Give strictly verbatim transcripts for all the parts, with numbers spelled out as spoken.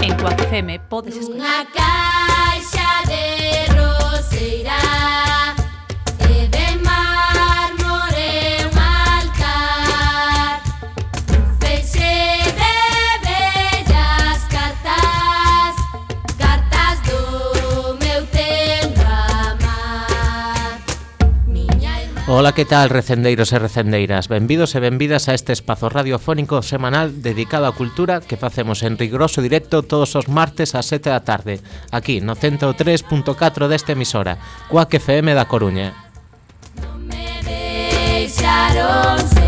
En Cuac F M podes escoitar Unha caixa de roseira e de mármore un altar, un feixe de bellas cartas, cartas do meu tempo amar. Miña irmá. Ola, que tal, recendeiros e recendeiras? Benvidos e benvidas a este espazo radiofónico semanal dedicado á cultura que facemos en riguroso directo todos os martes ás sete da tarde, aquí no ciento tres punto catro desta emisora, Cuac F M da Coruña. Non me deixaron seguir.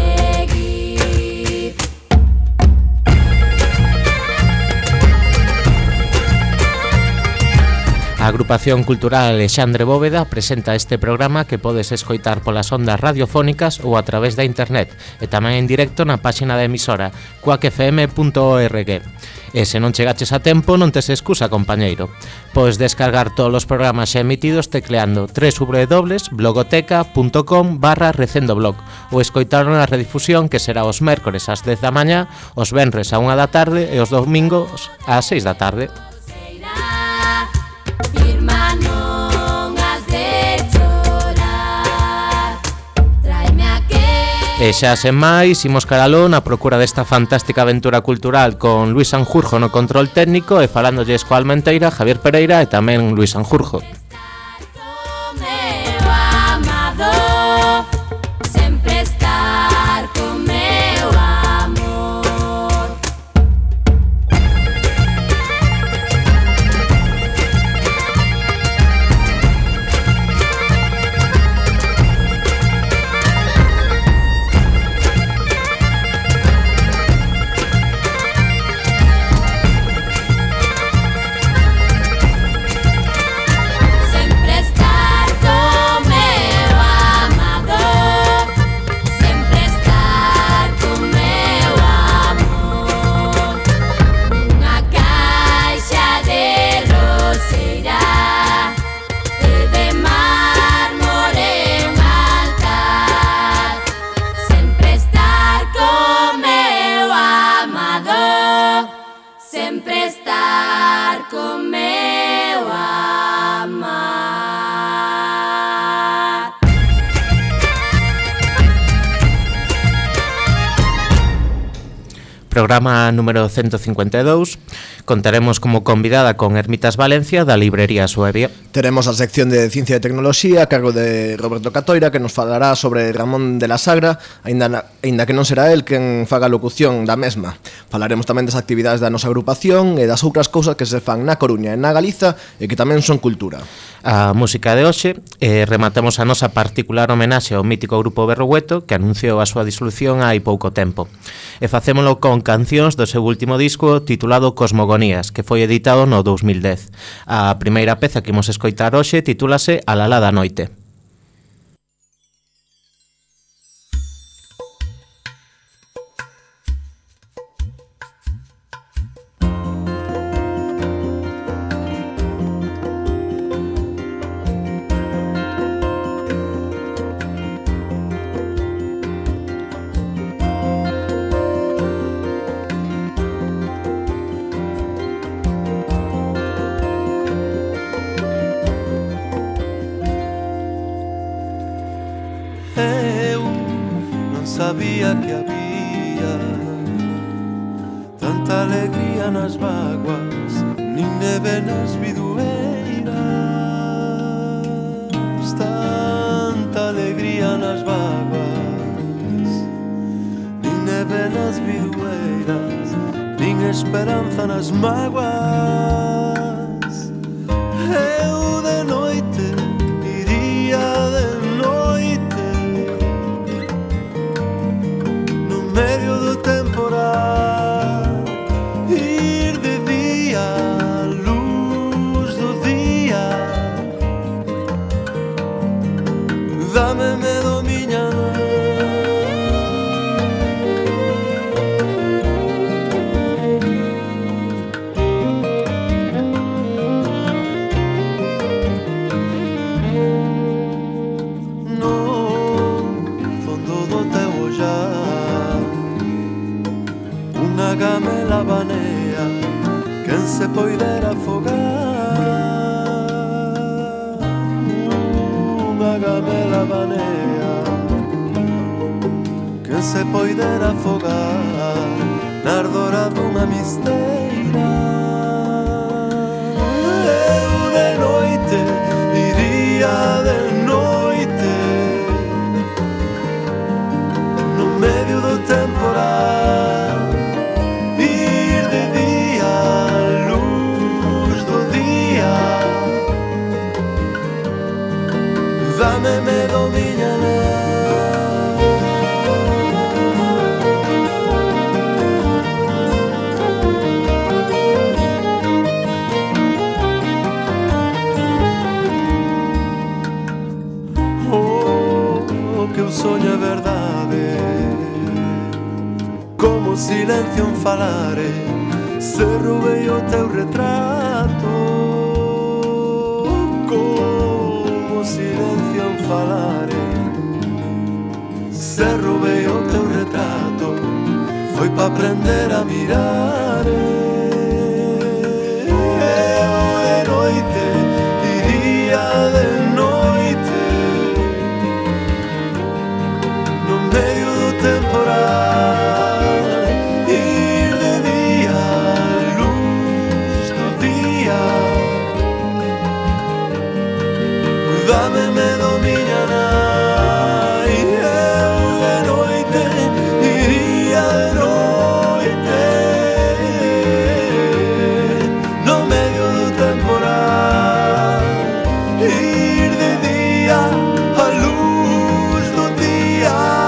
A agrupación cultural Alexandre Bóveda presenta este programa que podes escoitar polas ondas radiofónicas ou a través da internet e tamén en directo na páxina da emisora cuac f m punto org. E se non chegaches a tempo, non tes excusa, compañeiro. Podes descargar todos os programas xa emitidos tecleando w w w punto blogoteca punto com barra recendoblog ou escoitar na redifusión que será os mércores ás dez da mañá, os venres á unha da tarde e os domingos ás seis da tarde. Irmá, non has de chorar. Tráeme aquel. E xa sen máis, imos caralón a procura desta fantástica aventura cultural con Luis Sanjurjo no control técnico e falándolles coa Almenteira, Javier Pereira e tamén Luis Sanjurjo. Con meu amado, sempre estar con meu amor. Sempre estar con meu amado, sempre estar con meu amor. Unha caixa de roseira e de mármore un altar, sempre estar con meu amado, sempre estar con meu amar. Programa número ciento cincuenta e dous. Contaremos como convidada con Ermitas Valencia da librería Suevia. Teremos a sección de Ciencia e Tecnoloxía a cargo de Roberto Catoira, que nos falará sobre Ramón de la Sagra, aínda, na, aínda que non será el quen faga a locución da mesma. Falaremos tamén das actividades da nosa agrupación e das outras cousas que se fan na Coruña e na Galiza e que tamén son cultura. A música de hoxe, e rematamos a nosa particular homenaxe ao mítico grupo Berrogueto, que anunciou a súa disolución hai pouco tempo. E facémolo con cancións do seu último disco titulado Cosmogonías, que foi editado no dous mil dez. A primeira peza que imos escoitar hoxe titúlase A la la da noite. Sabía que había tanta alegría nas vaguas, nin neve nas bidueiras, tanta alegría nas vaguas, nin neve nas bidueiras, nin esperanza nas mágoas. Eu de noite iría de medio do temporal, ir de día a luz do día. Dame medo, miña gamela banea se poidera afogar unha gamela banea, quen se poidera afogar na ardora dunha misteira. Eu de noite iría de noite no medio do temporal, ir de día a luz do día. Dame me domina soño é verdade, como silencio en falare, se roubei o teu retrato, como silencio en falare, se roubei o teu retrato, foi pa aprender a mirar. Eu de noite iría de medio do temporal, ir de día a luz do día. Dame me dominará. E eu de noite iría de noite no medio do temporal, ir de día a luz do día.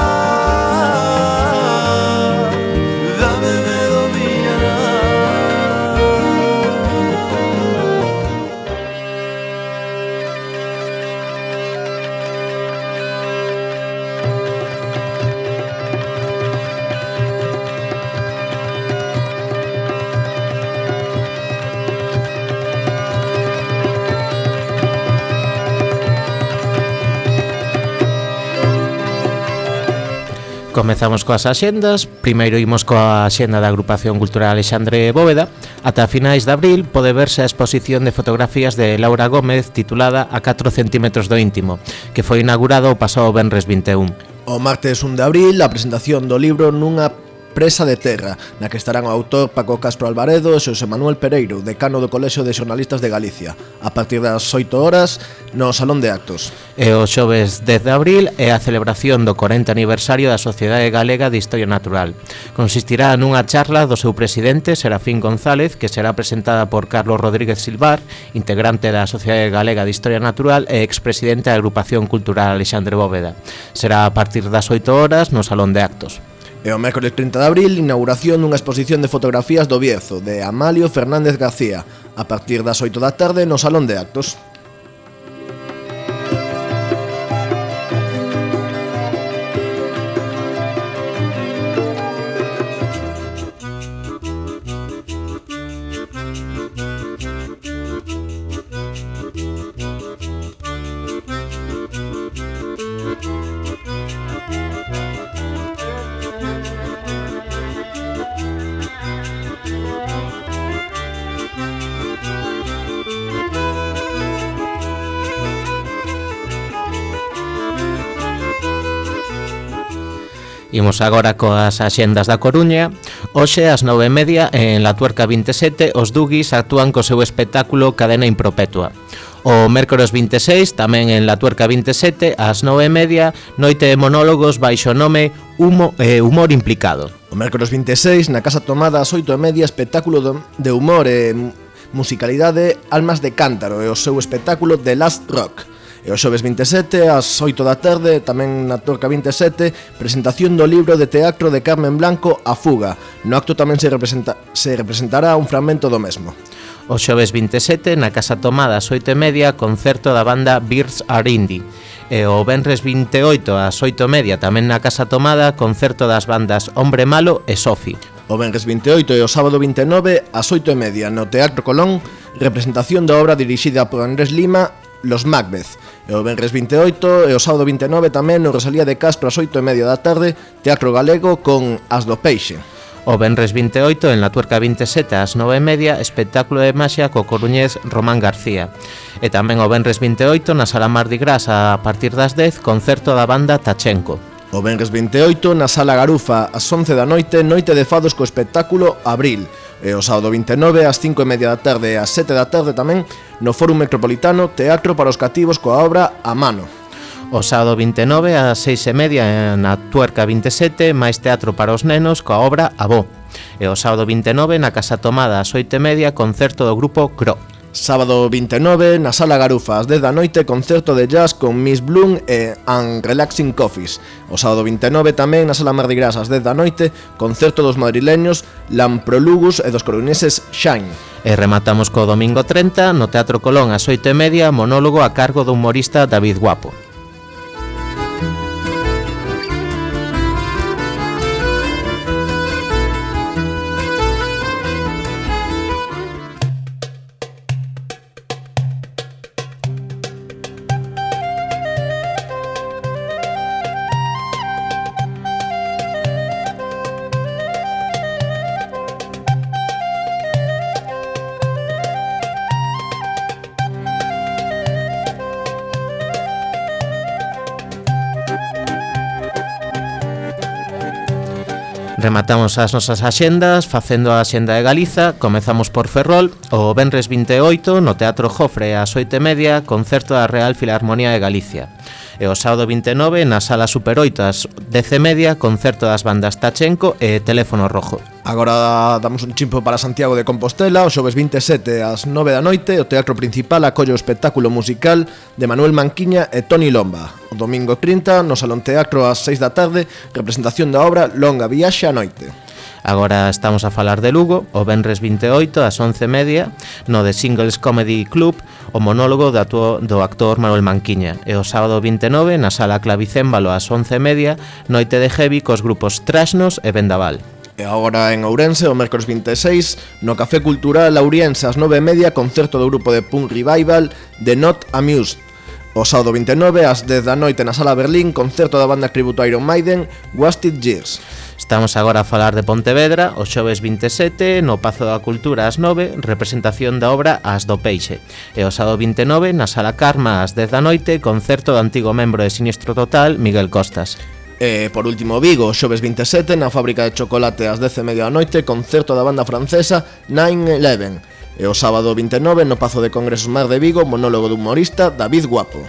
Comezamos coas axendas. Primeiro imos coa axenda da Agrupación Cultural Alexandre Bóveda. Ata finais de abril pode verse a exposición de fotografías de Laura Gómez titulada A catro centímetros do íntimo, que foi inaugurado o pasado venres vinte e un. O martes un de abril, a presentación do libro Nunha presa de terra, na que estarán o autor Paco Castro Alvaredo e Xosé Manuel Pereiro, decano do Colexio de Xornalistas de Galicia, a partir das oito horas no Salón de Actos. E o xoves dez de abril é a celebración do corenta aniversario da Sociedade Galega de Historia Natural. Consistirá nunha charla do seu presidente, Serafín González, que será presentada por Carlos Rodríguez Silvar, integrante da Sociedade Galega de Historia Natural e expresidente da Agrupación Cultural Alexandre Bóveda. Será a partir das oito horas no Salón de Actos. E o mércoles trinta de abril, inauguración dunha exposición de fotografías do Bierzo, de Amalio Fernández García, a partir das oito da tarde no Salón de Actos. Imos agora coas axendas da Coruña. Hoxe ás nove e media en La Tuerca vinte e sete os Dugis actúan co seu espectáculo Cadena Impropetua. O mércores vinte e seis, tamén en La Tuerca vinte e sete, ás nove e media, noite de monólogos baixo nome Humo, eh, Humor Implicado. O mércores vinte e seis, na Casa Tomada ás oito e media, espectáculo de humor e musicalidade Almas de Cántaro e o seu espectáculo The Last Rock. E o xoves vinte e sete, ás oito da tarde, tamén na Tuerca vinte e sete, presentación do libro de teatro de Carmen Blanco, A Fuga. No acto tamén se, representa, se representará un fragmento do mesmo. O xoves vinte e sete, na Casa Tomada ás oito e media, concerto da banda Birds Are Indie. E o venres vinte e oito ás oito e media, tamén na Casa Tomada, concerto das bandas Hombre Malo e Sofi. O venres vinte e oito e o sábado vinte e nove ás oito e media no Teatro Colón, representación da obra dirixida por Andrés Lima, Los Macbeth. E o venres vinte e oito e o sábado vinte e nove tamén no Rosalía de Castro ás oito e media da tarde, Teatro Galego con As do Peixe. O venres vinte e oito, en La Tuerca vinte e sete, ás nove e media, espectáculo de maxia co coruñés Román García. E tamén o venres vinte e oito, na Sala Mardi Gras, a partir das dez, concerto da banda Tachenko. O venres vinte e oito, na Sala Garufa, ás once da noite, noite de fados co espectáculo Abril. E o sábado vinte e nove, ás cinco e media da tarde e ás sete da tarde tamén, no Fórum Metropolitano, Teatro para os Cativos coa obra A Mano. O sábado vinte e nove, ás seis e media, na Tuerca vinte e sete, máis teatro para os nenos coa obra Avó. E o sábado vinte e nove, na Casa Tomada, ás oito e media, concerto do grupo Cro. Sábado vinte e nove, na Sala Garufa, ás dez da noite, concerto de jazz con Miss Bloom e And Relaxing Coffees. O sábado vinte e nove tamén, na Sala Mardi Gras, ás dez da noite, concerto dos madrileños Lamprolugus e dos coruñeses Shine. E rematamos co domingo trinta, no Teatro Colón, ás oito e media, monólogo a cargo do humorista David Guapo. Rematamos as nosas axendas facendo a axenda de Galiza. Comezamos por Ferrol. O venres vinte e oito, no Teatro Jofre, ás oito e media, concerto da Real Filarmonía de Galicia. E o sábado vinte e nove, na Sala Super oito, ás dez e media, concerto das bandas Tachenko e Teléfono Rojo. Agora damos un chimpo para Santiago de Compostela. O xoves vinte e sete, ás nove da noite, o Teatro Principal acolle o espectáculo musical de Manuel Manquiña e Toni Lomba. O domingo trinta, no Salón Teatro, ás seis da tarde, representación da obra Longa Viaxe á Noite. Agora estamos a falar de Lugo. O venres vinte e oito, ás once e media, no The Singles Comedy Club, o monólogo do, atuo, do actor Manuel Manquiña. E o sábado vinte e nove, na Sala Clavicémbalo, ás once e media, noite de heavy cos grupos Trasnos e Vendaval. E agora en Ourense, o mércores vinte e seis, no Café Cultural Auriense, ás nove e media, concerto do grupo de punk revival The Not Amused. O sábado vinte e nove, ás dez da noite, na Sala Berlín, concerto da banda tributo Iron Maiden, Wasted Years. Estamos agora a falar de Pontevedra. O xoves vinte e sete, no Pazo da Cultura, ás nove, representación da obra As do Peixe. E o sábado vinte e nove, na Sala Karma, ás dez da noite, concerto do antigo membro de Sinistro Total, Miguel Costas. E por último Vigo, xoves vinte e sete, na Fábrica de Chocolate, ás dez e media da noite, concerto da banda francesa nine eleven. E o sábado vinte e nove, no Pazo de Congresos Mar de Vigo, monólogo do humorista David Guapo.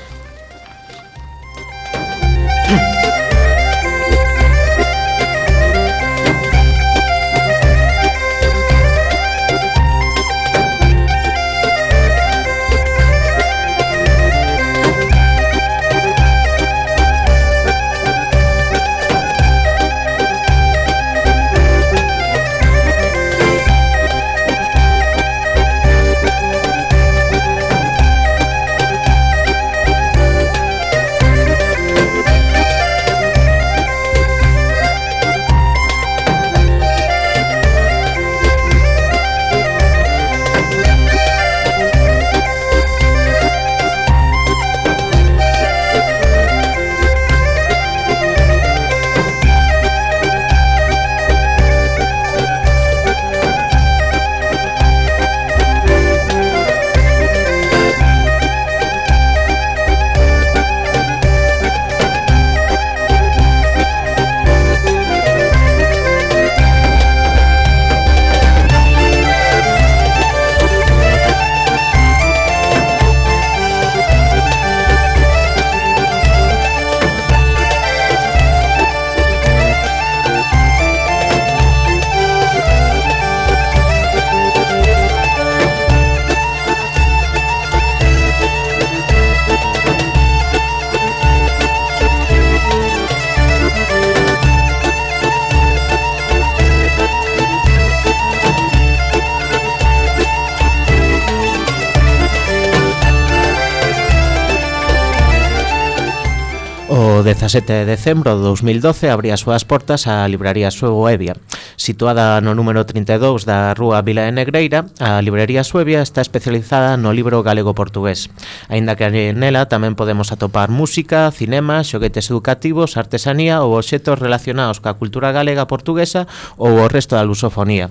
O dezasete de decembro de dous mil doce abría as súas portas a libraría Suevo Evia. Situada no número trinta e dous da rúa Vila de Negreira, a librería Suevia está especializada no libro galego-portugués, aínda que nela tamén podemos atopar música, cinema, xoguetes educativos, artesanía ou obxectos relacionados coa cultura galega portuguesa ou o resto da lusofonía.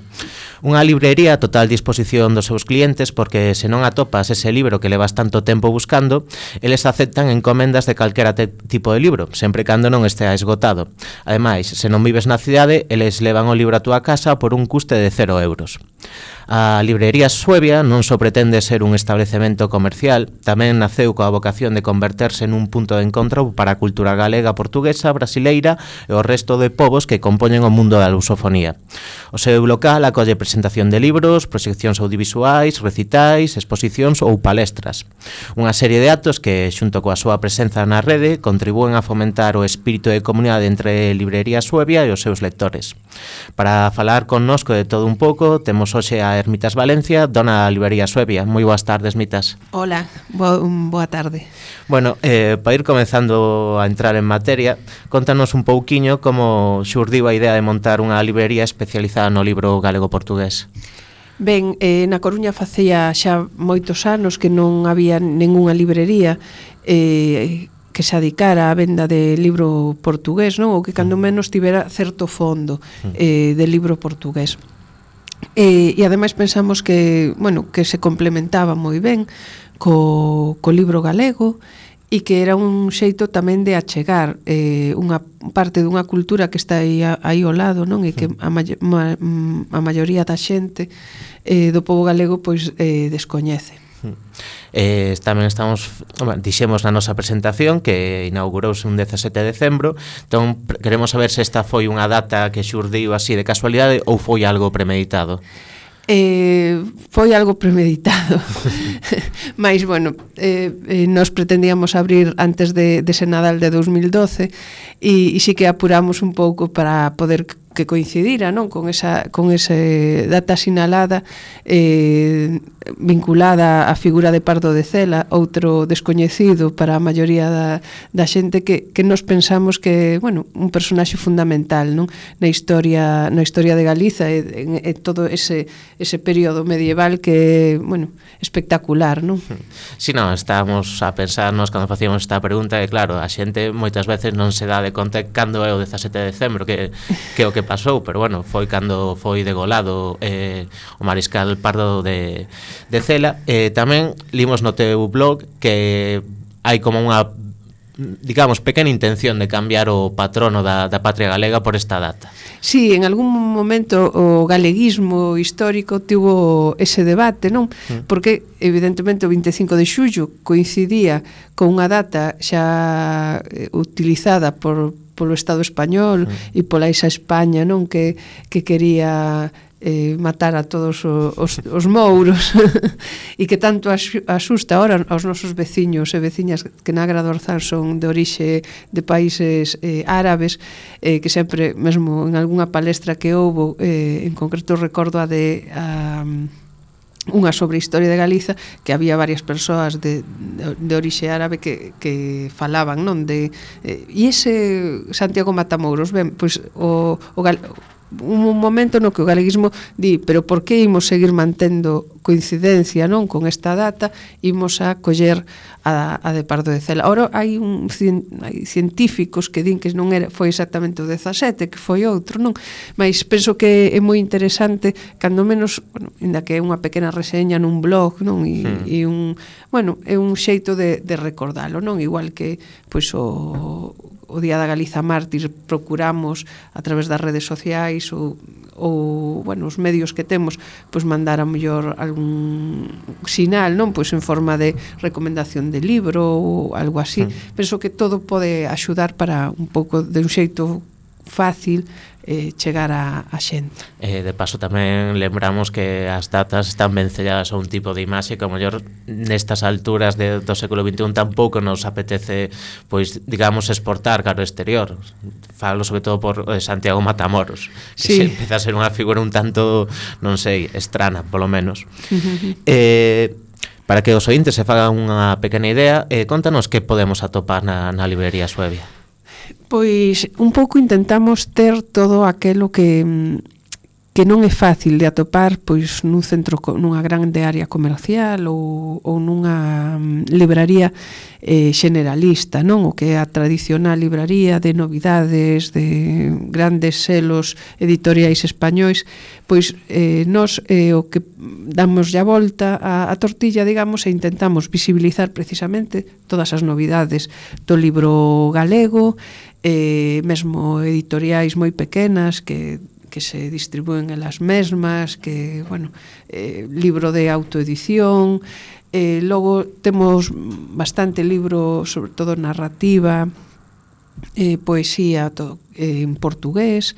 Unha librería a total disposición dos seus clientes porque se non atopas ese libro que levas tanto tempo buscando, eles aceptan encomendas de calquera tipo de libro, sempre cando non estea esgotado. Ademais, se non vives na cidade, eles levan o libro a túa casa por un custe de cero euros. A librería Suevia non só pretende ser un establecemento comercial, tamén naceu coa vocación de converterse nun punto de encontro para a cultura galega, portuguesa, brasileira e o resto de povos que compoñen o mundo da lusofonía. O seu local acolle presentación de libros, proxeccións audiovisuais, recitais, exposicións ou palestras. Unha serie de actos que, xunto coa súa presenza na rede, contribúen a fomentar o espírito de comunidade entre Librería Suevia e os seus lectores. Para falar connosco de todo un pouco, temos hoxe a Ermitas Valencia, dona da Librería Suevia. Moi boas tardes, Mitas. Hola, bo, boa tarde. Bueno, eh, para ir comezando a entrar en materia, contanos un pouquiño como xurdiu a idea de montar unha librería especializada no libro galego-portugués. Ben, eh, na Coruña facía xa moitos anos que non había ningunha librería eh, que se adicara á venda de libro portugués, non? Ou que cando menos tivera certo fondo eh, de libro portugués. E, e ademais pensamos que, bueno, que se complementaba moi ben co, co libro galego e que era un xeito tamén de achegar eh, unha parte dunha cultura que está aí, aí ao lado, non? E que a, ma, ma, a maioría da xente eh, do pobo galego pois eh, descoñece. Eh, tamén estamos, dixemos na nosa presentación que inaugurouse un dezasete de decembro, entón queremos saber se esta foi unha data que xurdiu así de casualidade ou foi algo premeditado. Eh, foi algo premeditado. Mais, bueno, eh, eh, nos pretendíamos abrir antes de, de ese Nadal de dos mil doce e, e sí que apuramos un pouco para poder que coincidira, non, con esa con ese data sinalada eh, vinculada á figura de Pardo de Cela, outro descoñecido para a maioría da, da xente que, que nos pensamos que, bueno, un personaxe fundamental, non, na historia na historia de Galiza e, en, en todo ese ese período medieval que, bueno, espectacular, non? Si, non, estábamos a pensarnos cando facíamos esta pregunta e claro, a xente moitas veces non se dá de conta cando é o dezasete de decembro que que o que pasou, pero bueno, foi cando foi degolado eh, o mariscal Pardo de, de Cela. Eh, tamén limos no teu blog que hai como unha, digamos, pequena intención de cambiar o patrono da, da patria galega por esta data. Sí, en algún momento o galeguismo histórico tivo ese debate, non? Mm. Porque, evidentemente, o vinte e cinco de xullo coincidía con unha data xa utilizada por polo Estado español mm. e pola esa España, non, que, que quería eh, matar a todos os, os mouros e que tanto asusta ahora aos nosos veciños e veciñas que na Agra do Orzán son de orixe de países eh, árabes, eh, que sempre, mesmo en algunha palestra que houbo, eh, en concreto recordo a de a, unha sobre a historia de Galiza, que había varias persoas de, de, de orixe árabe que, que falaban, non, de eh, e ese Santiago Matamouros, ben, pois o, o gal, un momento no que o galeguismo di, pero por que imos seguir mantendo coincidencia, non, con esta data, imos a coller a, a de Pardo de Cela. Ora hai un hai científicos que din que non era foi exactamente o dezasete, que foi outro, non? Mas penso que é moi interesante, cando menos, bueno, ainda que é unha pequena reseña nun blog, non? E, hmm. e un, bueno, é un xeito de, de recordalo, non? Igual que pois o o Día da Galiza Mártir procuramos a través das redes sociais ou, ou bueno, os medios que temos, pois mandar a mellor algún sinal, non, pois en forma de recomendación de libro ou algo así. Mm. Penso que todo pode axudar para un pouco de un xeito fácil eh, chegar a, a xente. Eh, de paso tamén lembramos que as datas están vencelladas a un tipo de imaxe que a mellor nestas alturas de, do século vinte e un tampouco nos apetece, pois, digamos, exportar cara ao exterior. Falo sobre todo por eh, Santiago Matamoros, que sí. Se empeza a ser unha figura un tanto, non sei, estrana, polo menos. Uh-huh. eh, para que os ointes se fagan unha pequena idea, eh, contanos que podemos atopar na, na librería Suevia. Pois un pouco intentamos ter todo aquelo que que non é fácil de atopar pois nun centro, nunha grande área comercial ou, ou nunha um, libraría eh, generalista, non? O que é a tradicional libraría de novidades, de grandes selos editoriais españois, pois eh, nos eh, o que damos ya volta a, a tortilla, digamos, e intentamos visibilizar precisamente todas as novidades do libro galego, eh, mesmo editoriais moi pequenas que que se distribúen elas mesmas, que, bueno, eh, libro de autoedición, eh, logo temos bastante libro, sobre todo narrativa, eh, poesía todo, eh, en portugués,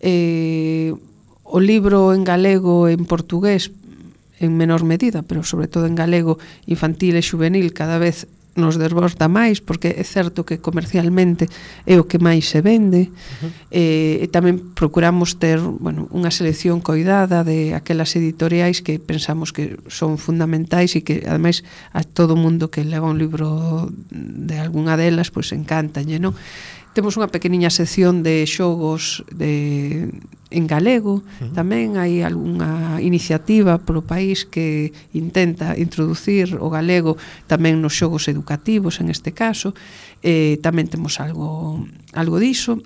eh, o libro en galego en portugués en menor medida, pero sobre todo en galego infantil e juvenil cada vez nos desborda máis, porque é certo que comercialmente é o que máis se vende. Uh-huh. eh, e tamén procuramos ter, bueno, unha selección coidada de aquelas editoriais que pensamos que son fundamentais e que ademais a todo mundo que leva un libro de algunha delas pois encantalle, non? Temos unha pequeniña sección de xogos de, en galego, uh-huh. Tamén hai algunha iniciativa polo país que intenta introducir o galego tamén nos xogos educativos, en este caso, eh, tamén temos algo, algo diso.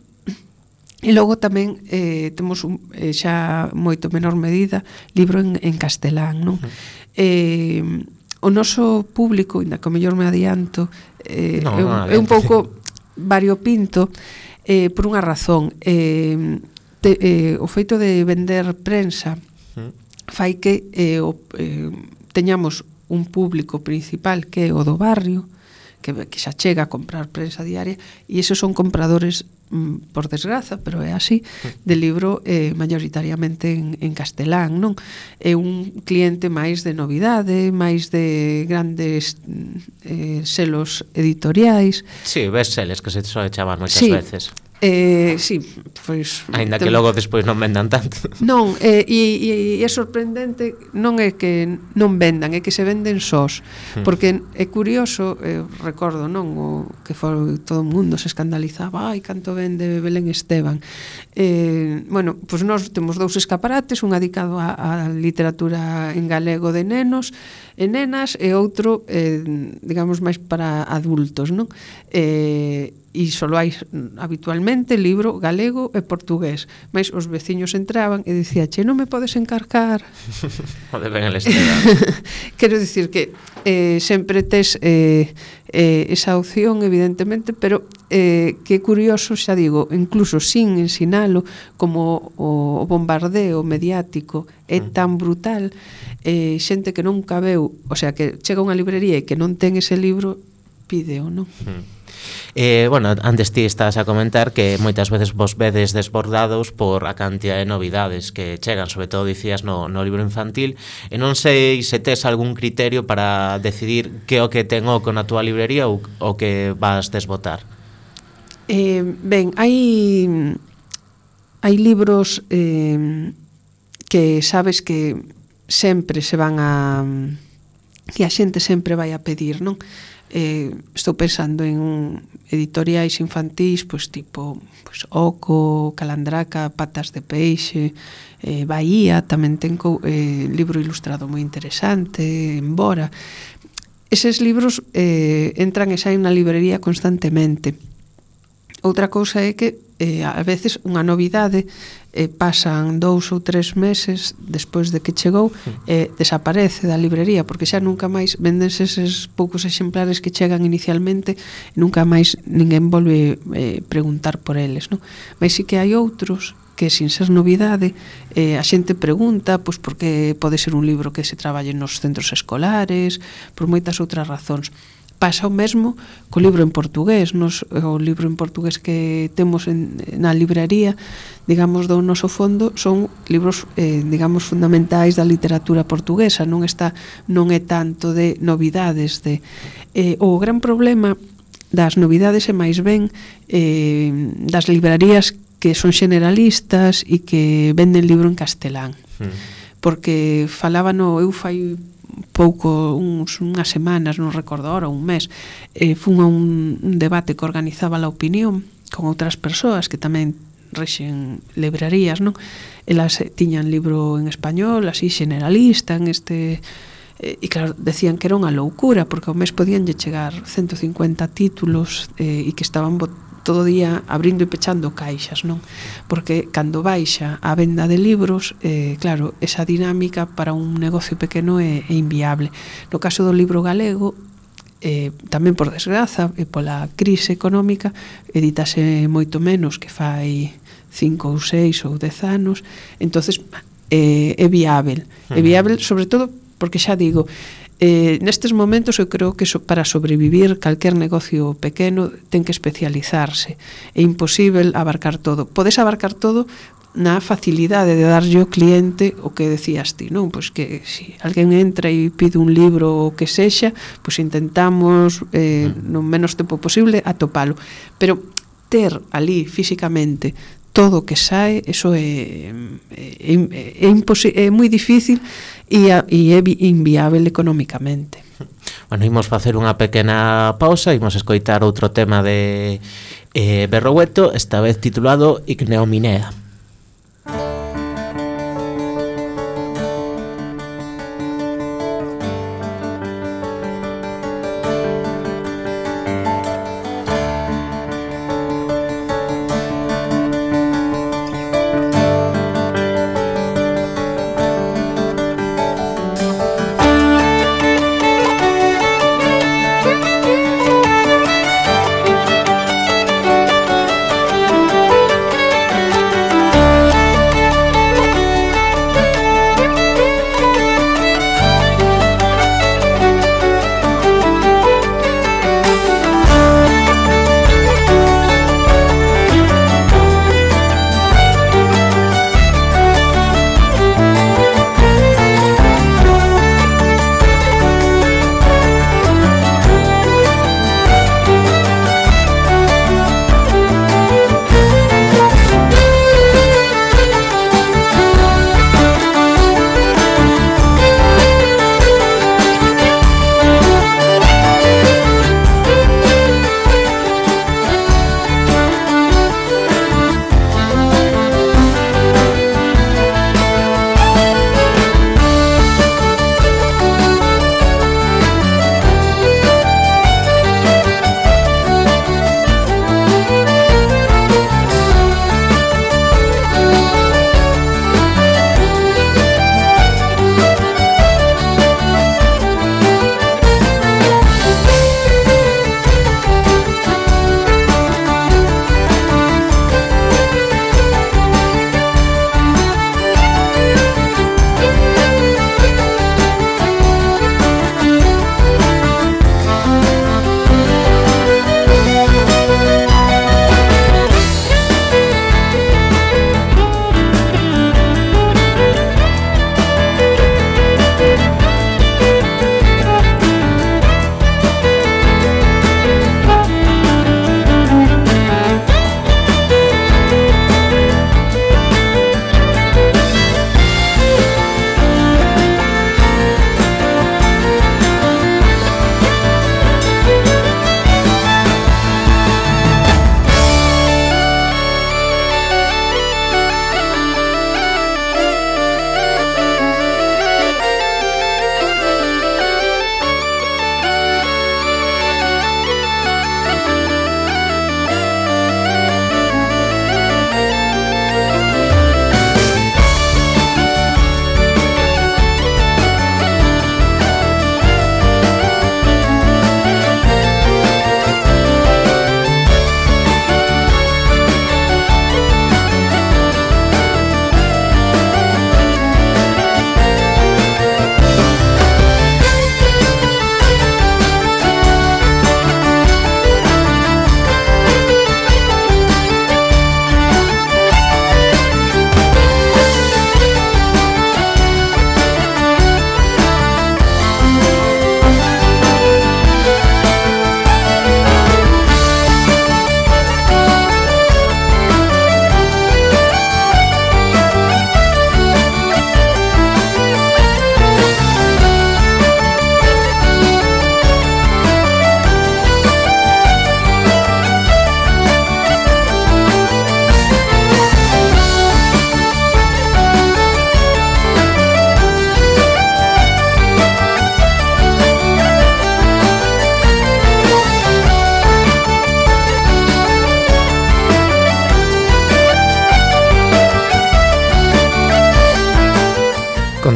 E logo tamén eh, temos un, eh, xa moito menor medida libro en, en castelán, non? Uh-huh. Eh, o noso público, ainda que o mellor me adianto, eh, no, é, un, no, é un pouco variopinto eh, por unha razón. Eh, te, eh, o feito de vender prensa fai que eh, o, eh, teñamos un público principal que é o do barrio, que, que xa chega a comprar prensa diaria, e esos son compradores, mm, por desgraza, pero é así, de libro eh, mayoritariamente en, en castelán, non? É un cliente máis de novidade, máis de grandes eh, selos editoriais. Sí, bestseles, que se soe chamar moitas sí. veces. Eh, sí, pois aínda que logo despois non vendan tanto. Non, eh, e, e é sorprendente, non é que non vendan, é que se venden sós, hmm. porque é curioso, eh, recordo, non, o que foi todo o mundo se escandalizaba, ai, canto vende Belén Esteban. Eh, bueno, pois nós temos dous escaparates, un dedicado á, á literatura en galego de nenos e nenas e outro, eh, digamos, máis para adultos, non? Eh, e só hai habitualmente libro galego e portugués, mas os veciños entraban e dicía, che, non me podes encarcar? O de Ben el Esteban. Quero dicir que eh, sempre tes eh, eh, esa opción, evidentemente, pero eh, que curioso, xa digo, incluso sin ensinalo, como o, o bombardeo mediático é tan brutal, eh, xente que nunca veu, o sea, que chega a unha librería e que non ten ese libro, pídeo, non? Mm. Eh, bueno, antes ti estás a comentar que moitas veces vos vedes desbordados por a cantidad de novidades que chegan, sobre todo dicías no, no libro infantil, e non sei se tes algún criterio para decidir que o que ten oco na túa librería ou o que vas desbotar. Eh, ben, hai hai libros eh, que sabes que sempre se van a que a xente sempre vai a pedir, non? Eh, estou pensando en editoriais infantís, pois tipo pois Oco, Calandraca, Patas de Peixe, eh, Bahía, tamén ten eh, libro ilustrado moi interesante, Embora. Eses libros eh, entran e saen na librería constantemente. Outra cousa é que eh, a veces unha novidade eh, pasan dous ou tres meses despois de que chegou e eh, desaparece da librería, porque xa nunca máis vendense eses poucos exemplares que chegan inicialmente e nunca máis ninguén volve eh, preguntar por eles, non? Mas sí que hai outros que sin ser novidade eh, a xente pregunta pois porque pode ser un libro que se traballe nos centros escolares, por moitas outras razóns. Pasa o mesmo co libro en portugués. Nos, o libro en portugués que temos en, na librería, digamos, do noso fondo, son libros, eh, digamos, fundamentais da literatura portuguesa. Non está, non é tanto de novidades. De, eh, o gran problema das novidades é máis ben eh, das librarías que son generalistas e que venden libro en castelán. Mm. Porque falábano, eu fai pouco, uns, unhas semanas, non recordo ahora, un mes, eh, fun a un, un debate que organizaba La Opinión con outras persoas que tamén rexen librarías, non? Elas tiñan libro en español, así generalista, en este... E claro, decían que era unha loucura, porque ao mes podían lle chegar ciento cincuenta títulos eh, e que estaban todo o día abrindo e pechando caixas, non? Porque cando baixa a venda de libros, eh, claro, esa dinámica para un negocio pequeno é, é inviable. No caso do libro galego, eh, tamén por desgraza e pola crise económica, editase moito menos que fai cinco ou seis ou dez anos, entonces eh, é viável. É viável, sobre todo, porque xa digo, Eh, nestes momentos eu creo que so, para sobrevivir calquer negocio pequeno ten que especializarse. É imposible abarcar todo. Podes abarcar todo na facilidade de darlle ao cliente o que decías ti, non? Pois que se si alguén entra e pide un libro o que sexa, pois intentamos eh, no menos tempo posible atopalo. Pero ter ali físicamente todo o que sae, eso é é, é, é moi difícil e, a, e é inviável económicamente. Bueno, imos facer unha pequena pausa, imos escoitar outro tema de eh, Berrogueto, esta vez titulado Igneominea. Thank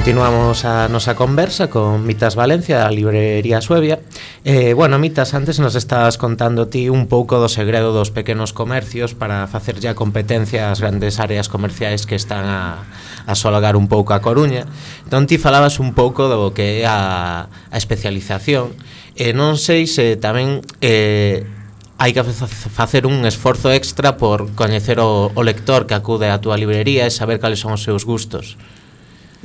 Continuamos a nosa conversa con Mitas Valencia, da librería Suevia. Eh, bueno, Mitas, antes nos estabas contando ti un pouco do segredo dos pequenos comercios para facer ya competencia ás grandes áreas comerciais que están a, a solagar un pouco a Coruña. Entón ti falabas un pouco do que é a, a especialización. E eh, non sei se tamén eh, hai que facer un esforzo extra por coñecer o, o lector que acude á túa librería e saber cales son os seus gustos.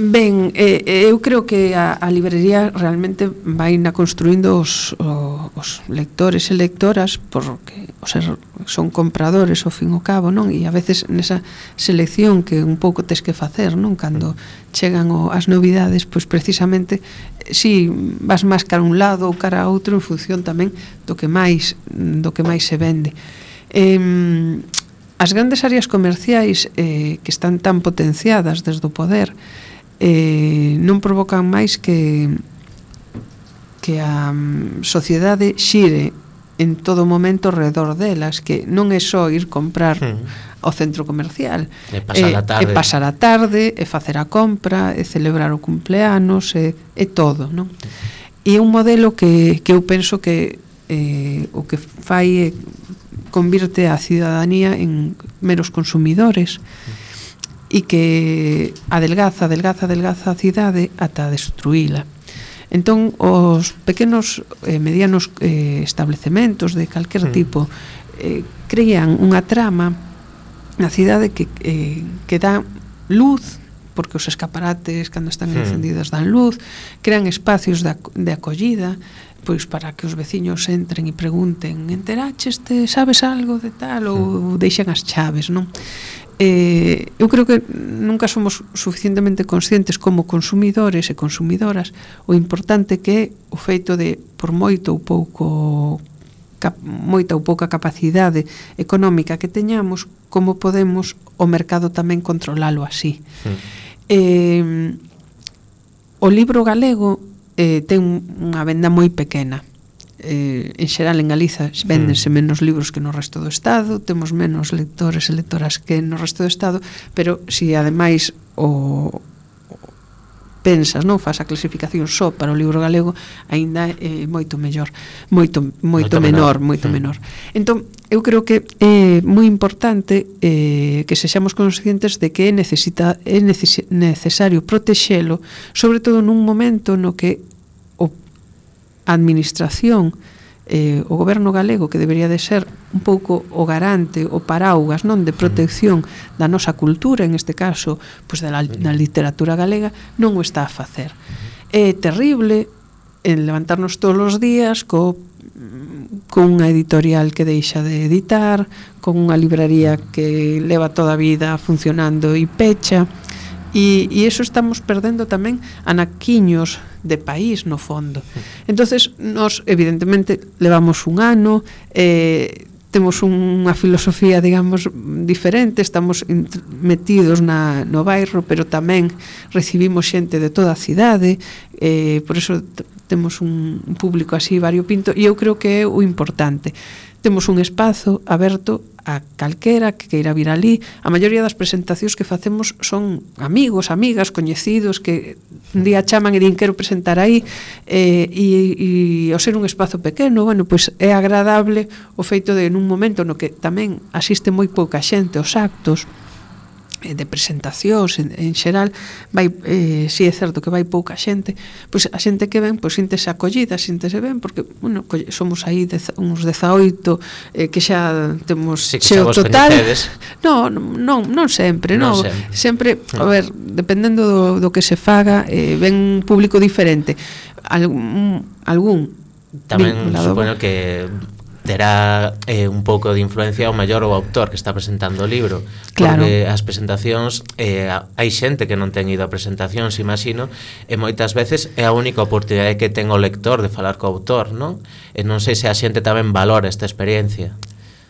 Ben, eh, eu creo que a, a librería realmente vai na construindo os, o, os lectores e lectoras porque o ser, son compradores ao fin ao cabo, non? E a veces nesa selección que un pouco tes que facer, non? Cando chegan o, as novidades, pois precisamente si vas máis cara a un lado ou cara a outro en función tamén do que máis do que máis se vende. Eh, as grandes áreas comerciais eh, que están tan potenciadas desde o poder Eh, non provocan máis que que a um, sociedade xire en todo momento alrededor delas, que non é só ir comprar mm. ao centro comercial, e pasar a tarde, e pasar a tarde, e facer a compra, e celebrar o cumpleanos, e, e todo, non? E é un modelo que, que eu penso que eh, o que fai é convirte a cidadanía en meros consumidores, mm. e que adelgaza, adelgaza, adelgaza a cidade ata destruíla. Entón, os pequenos e eh, medianos eh, establecementos de calquer mm. tipo eh, crean unha trama na cidade que, eh, que dá luz, porque os escaparates cando están mm. encendidos dan luz, crean espacios de, de acollida, pois para que os veciños entren e pregunten: enteraches, te sabes algo de tal? Ou mm. deixan as chaves, non? Eh, eu creo que nunca somos suficientemente conscientes como consumidores e consumidoras o importante que é o feito de, por moito ou pouco cap, moita ou pouca capacidade económica que teñamos, como podemos o mercado tamén controlalo así. Mm. Eh, o libro galego eh, ten unha venda moi pequena. Eh, en xeral en Galiza véndense mm. menos libros que no resto do Estado, temos menos lectores e lectoras que no resto do Estado, pero se si ademais o, o pensas, non, faz a clasificación só para o libro galego, aínda é eh, moito mellor, moito moito, moito menor, menor, moito mm. menor. Entón, eu creo que é moi importante eh, que sexamos conscientes de que é necesita é neces necesario protexelo, sobre todo nun momento no que a administración, eh, o goberno galego, que debería de ser un pouco o garante, o paraugas, non, de protección da nosa cultura, en este caso, pois da, da literatura galega, non o está a facer. É terrible en levantarnos todos os días co, con unha editorial que deixa de editar, con unha libraría que leva toda a vida funcionando e pecha, e, e eso estamos perdendo tamén anaquiños de país no fondo. Entonces, nós evidentemente levamos un ano, eh, temos unha filosofía, digamos, diferente, estamos metidos na, no bairro, pero tamén recibimos xente de toda a cidade, eh, por eso temos un, un público así variopinto, e eu creo que é o importante. Temos un espazo aberto a calquera que queira vir ali. A maioría das presentacións que facemos son amigos, amigas, coñecidos que un día chaman e din quero presentar aí, eh, e, e ao ser un espazo pequeno, bueno, pois é agradable o feito de nun momento no que tamén asiste moi pouca xente aos actos de presentacións en, en xeral, vai, eh, si é certo que vai pouca xente, pois a xente que ven pois síntese acollida, síntese ben, porque bueno, somos aí dez, uns dezaoito eh, que xa temos sí, que xeo total. No, non, non sempre, non, no, sempre, sempre a ver, dependendo do, do que se faga, eh, ven un público diferente. Algún, algún tamén supoño que terá eh, un pouco de influencia o maior o autor que está presentando o libro, claro. Porque as presentacións eh, hai xente que non ten ido a presentacións, imagino, e moitas veces é a única oportunidade que ten o lector de falar co autor, non? E non sei se a xente tamén valora esta experiencia.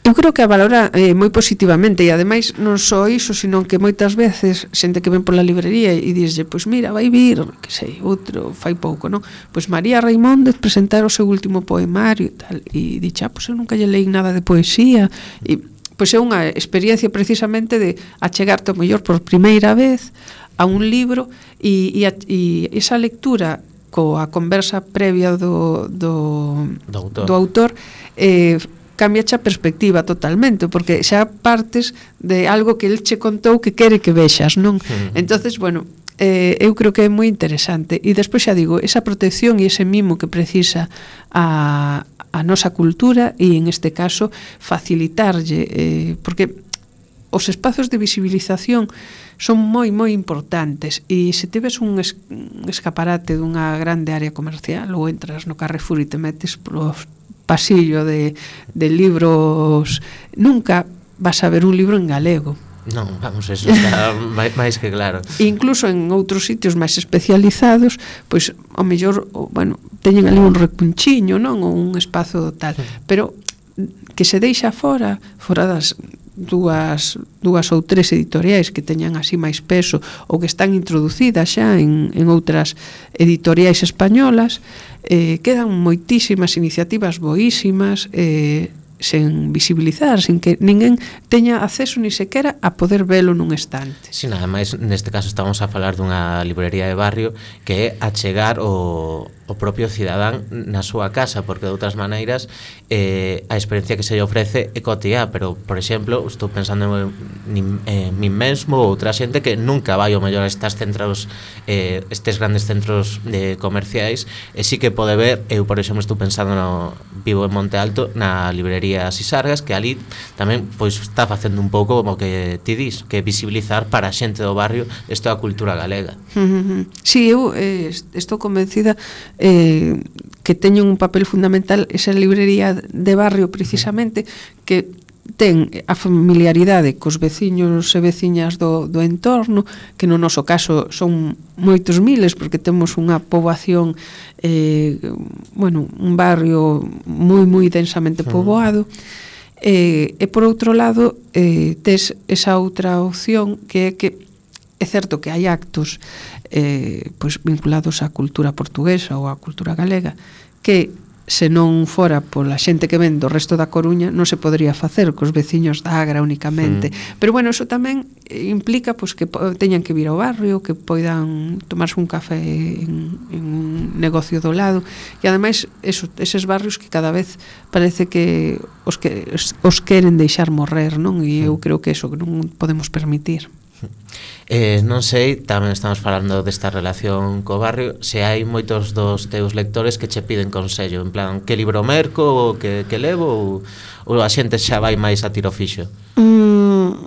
Eu creo que a valora eh, moi positivamente, e ademais non só iso, sino que moitas veces xente que ven pola librería e dixlle, pois mira, vai vir, que sei, outro fai pouco, non? Pois María Raimóndez presentar o seu último poemario e tal, e dixe, ah, pois eu nunca lle leí nada de poesía, e pois é unha experiencia precisamente de achegarte ao mellor por primeira vez a un libro e, e, a, e esa lectura coa conversa previa do, do, do autor, do autor eh, cambia a perspectiva totalmente, porque xa partes de algo que el che contou que quere que vexas, non? Uh-huh. Entonces, bueno, eh, eu creo que é moi interesante. E despois xa digo, esa protección e ese mimo que precisa a, a nosa cultura e, en este caso, facilitarlle, eh, porque os espazos de visibilización son moi, moi importantes, e se teves un, es, un escaparate dunha grande área comercial ou entras no Carrefour e te metes polos pasillo de, de libros, nunca vas a ver un libro en galego. Non, vamos, eso está máis que claro. E incluso en outros sitios máis especializados, pois, ao mellor, bueno, teñen ali un recunchiño, non? Ou un espazo tal, pero que se deixa fora, fora das dúas, dúas ou tres editoriais que teñan así máis peso ou que están introducidas xa en, en outras editoriais españolas, eh, quedan moitísimas iniciativas boísimas, eh, sen visibilizar, sin que ninguén teña acceso ni sequera a poder velo nun estante. Si, nada máis, neste caso estamos a falar dunha librería de barrio que é achegar o, o propio cidadán na súa casa, porque de outras maneiras eh, a experiencia que se lle ofrece é cotiá, pero, por exemplo, estou pensando en, en, en min mesmo ou outra xente que nunca vai ao mellor a estes centros, eh, estes grandes centros de comerciais, e sí que pode ver, eu, por exemplo, estou pensando no, vivo en Monte Alto, na librería Sisargas, que ali tamén pois está facendo un pouco como que ti dis, que visibilizar para a xente do barrio esta cultura galega. Uh-huh. Si, sí, eu eh, estou convencida eh, que teñen un papel fundamental esa librería de barrio, precisamente, que ten a familiaridade cos veciños e veciñas do, do entorno, que no noso caso son moitos miles, porque temos unha poboación, eh, bueno, un barrio moi, moi densamente poboado, eh, e por outro lado eh, tes esa outra opción que é que é certo que hai actos eh, pois vinculados á cultura portuguesa ou á cultura galega que se non fora pola xente que ven do resto da Coruña non se podría facer cos veciños da Agra únicamente, mm. pero bueno, eso tamén implica pois, que teñan que vir ao barrio, que poidan tomarse un café en, en un negocio do lado, e ademais eso, eses barrios que cada vez parece que os, que os queren deixar morrer, non? E eu creo que eso que non podemos permitir. Eh, non sei, tamén estamos falando desta relación co barrio, se hai moitos dos teus lectores que che piden consello, en plan, que libro merco ou que, que levo, ou, ou a xente xa vai máis a tiro fixo? Mm,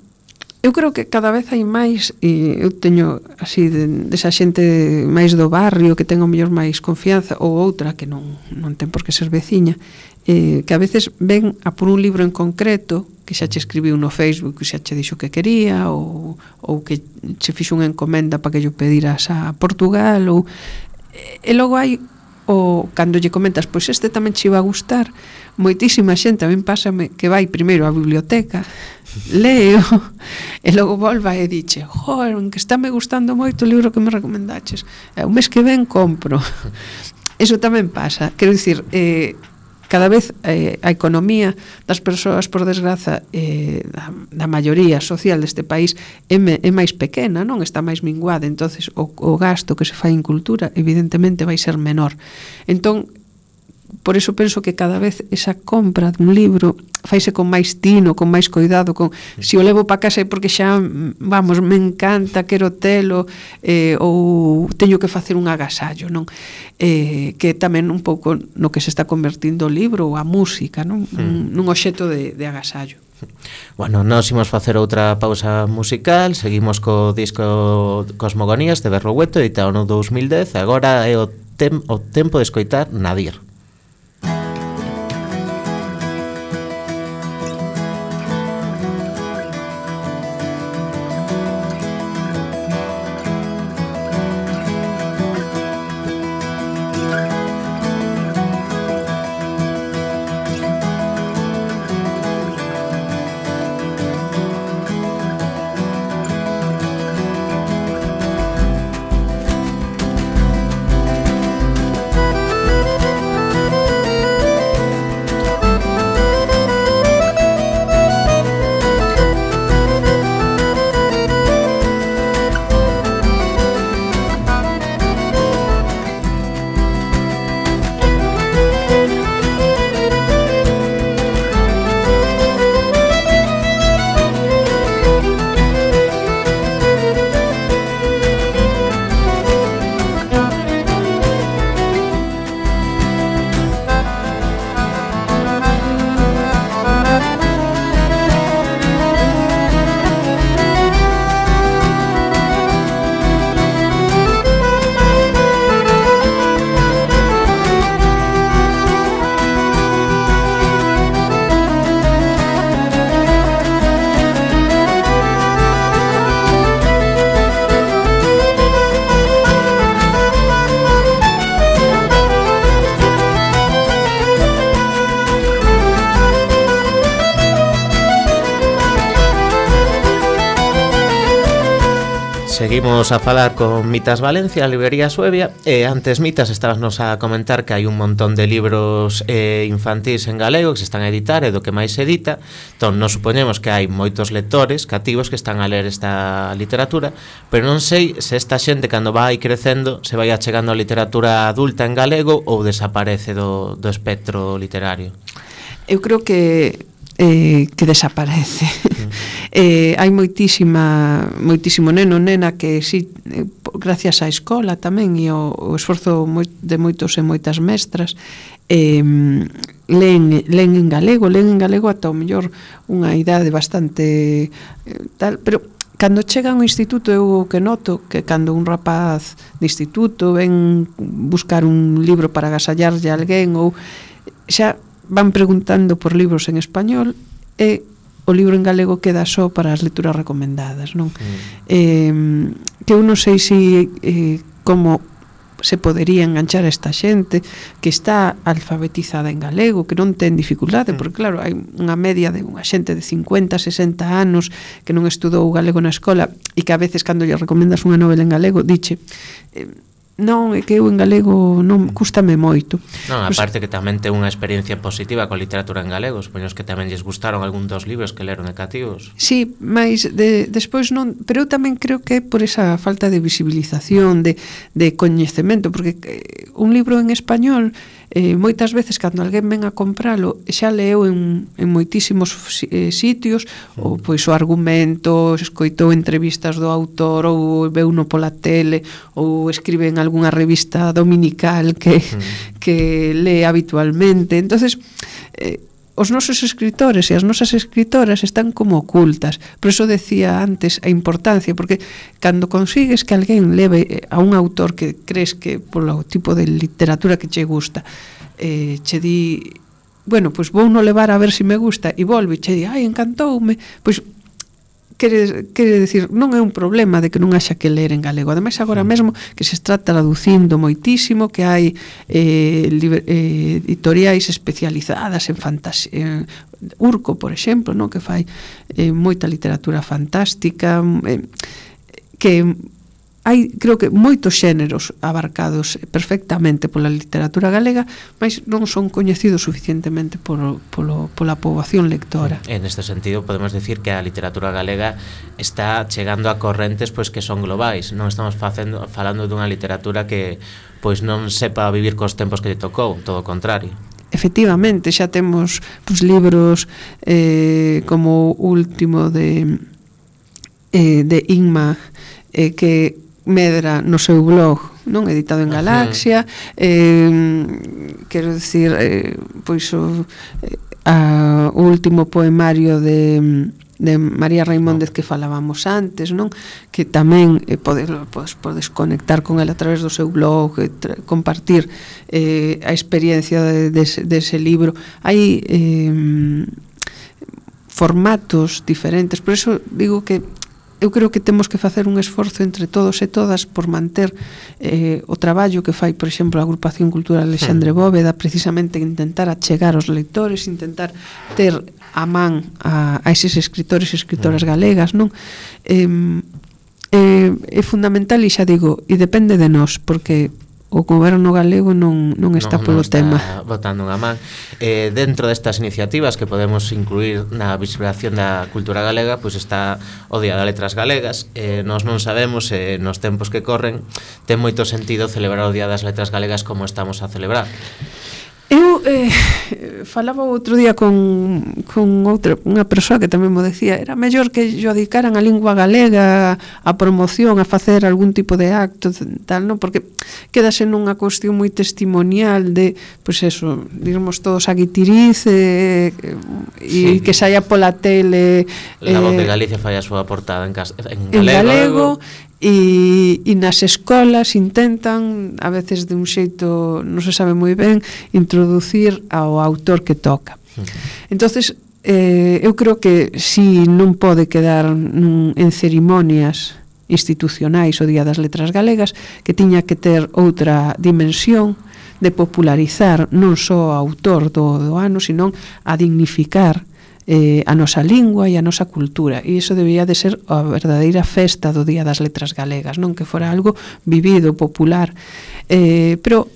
eu creo que cada vez hai máis, e eu teño así de, desa xente máis do barrio que ten o mellor máis confianza, ou outra que non, non ten por que ser veciña, eh, que a veces ven a por un libro en concreto que xa che escribiu no Facebook que xa che dixo que quería, ou, ou que che fixo unha encomenda para que yo pediras a Portugal, ou e logo hai o cando lle comentas, pois este tamén che iba a gustar, moitísima xente, a min pásame que vai primeiro á biblioteca, leo e logo volva e diche, joder, que está me gustando moito o libro que me recomendaches, e o mes que ven compro. Eso tamén pasa, quero dicir, eh, cada vez eh, a economía das persoas, por desgraza, eh, da, da maioría social deste país é, me, é máis pequena, non está máis minguada, entonces o, o gasto que se fai en cultura evidentemente vai ser menor. Entón, por eso penso que cada vez esa compra dun libro faise con máis tino, con máis cuidado, con se o levo para casa é porque xa, vamos, me encanta, quero telo, eh, ou teño que facer un agasallo, non? Eh, que tamén un pouco no que se está convertindo o libro ou a música, non? Mm. Nun obxecto de, de agasallo. Bueno, nós imos facer outra pausa musical, seguimos co disco Cosmogonías de Berrogueto, editado no dous mil dez, agora é o, tem, o tempo de escoitar Nadir. Nadir Seguimos a falar con Mitas Valencia, a librería Suevia, e antes Mitas estabasnos a comentar que hai un montón de libros eh, infantís en galego que se están a editar e do que máis se edita. Entón, nos supoñemos que hai moitos lectores cativos que están a ler esta literatura, pero non sei se esta xente cando vai crecendo se vai achegando a literatura adulta en galego ou desaparece do, do espectro literario. Eu creo que eh, que desaparece. Uh-huh. eh, hai moitísima moitísimo neno, nena que si, eh, gracias á escola tamén e o, o esforzo moi, de moitos e moitas mestras, eh, leen, leen en galego, leen en galego ata o mellor unha idade bastante eh, tal, pero cando chega a un instituto eu que noto que cando un rapaz de instituto ven buscar un libro para agasallarlle a alguén ou xa van preguntando por libros en español e o libro en galego queda só para as lecturas recomendadas, non? Mm. Eh, que eu non sei se eh, como se podería enganchar a esta xente que está alfabetizada en galego, que non ten dificultade, porque claro, hai unha media de unha xente de cincuenta, sesenta anos que non estudou galego na escola e que a veces cando lle recomendas unha novela en galego diche eh, non, é que eu en galego non cústame moito. Non, aparte que tamén ten unha experiencia positiva con literatura en galego, supoños que tamén lles gustaron algún dos libros que leron de cativos. Sí, mas de, despois non, pero eu tamén creo que é por esa falta de visibilización, de, de coñecemento, porque eh, un libro en español eh, moitas veces cando alguén ven a compralo xa leu en, en moitísimos eh, sitios, mm. ou pois o argumento, escoitou entrevistas do autor ou veuno pola tele ou escribe en algunha revista dominical que, mm. que lee habitualmente. Entonces eh, os nosos escritores e as nosas escritoras están como ocultas. Por eso decía antes a importancia, porque cando consigues que alguén leve a un autor que crees que polo tipo de literatura que che gusta, eh, che di, bueno, pois vou no levar a ver se me gusta, e volve e che di, ai, encantoume, pois quere, quere decir, non é un problema de que non haxa que ler en galego. Ademais, agora mesmo que se está traducindo moitísimo, que hai eh, liber, eh, editoriais especializadas en fantasía, eh, Urco, por exemplo, no? Que fai eh, moita literatura fantástica, eh, que hai, creo que, moitos xéneros abarcados perfectamente pola literatura galega, mas non son coñecidos suficientemente por, polo, pola poboación lectora. En este sentido, podemos decir que a literatura galega está chegando a correntes pois que son globais. Non estamos facendo, falando dunha literatura que pois non sepa vivir cos tempos que lle tocou, todo o contrario. Efectivamente, xa temos pues, libros eh, como o último de, eh, de Inma, eh, que medra no seu blog, non, editado en Galaxia, eh, quero dicir, eh, pois o, eh, a, o último poemario de de María Raimóndez que falábamos antes, non? Que tamén eh, podes, podes, podes conectar con ela a través do seu blog, eh, tra, compartir eh, a experiencia de, de, de ese libro. Hai eh, formatos diferentes, por eso digo que eu creo que temos que facer un esforzo entre todos e todas por manter eh, o traballo que fai, por exemplo, a Agrupación Cultural Alexandre Bóveda, precisamente intentar achegar aos leitores, intentar ter a man a, a eses escritores e escritoras galegas, non? Eh, eh, é fundamental, e xa digo, e depende de nós, porque o goberno galego non, non está non, polo non está tema. Botando unha man. Eh, dentro destas iniciativas que podemos incluir na visibilización da cultura galega, pois pues está o Día das Letras Galegas. Eh, nós non sabemos, eh, nos tempos que corren, ten moito sentido celebrar o Día das Letras Galegas como estamos a celebrar. Eu eh, falaba outro día con, con outra, unha persoa que tamén mo decía, era mellor que yo dedicaran a lingua galega, a promoción, a facer algún tipo de acto, tal, non? Porque quedase nunha cuestión moi testimonial de, pois pues eso, dirmos todos a guitiriz e, e sí, que saia pola tele. La eh, Voz de Galicia fai a súa portada en, cas, en galego. En galego E, e nas escolas intentan, a veces de un xeito non se sabe moi ben, introducir ao autor que toca. Entonces, eh, eu creo que si non pode quedar nun, en cerimonias institucionais o Día das Letras Galegas, que tiña que ter outra dimensión de popularizar non só o autor do, do ano, senón a dignificar eh, a nosa lingua e a nosa cultura, e iso debía de ser a verdadeira festa do Día das Letras Galegas, non que fora algo vivido, popular, eh, pero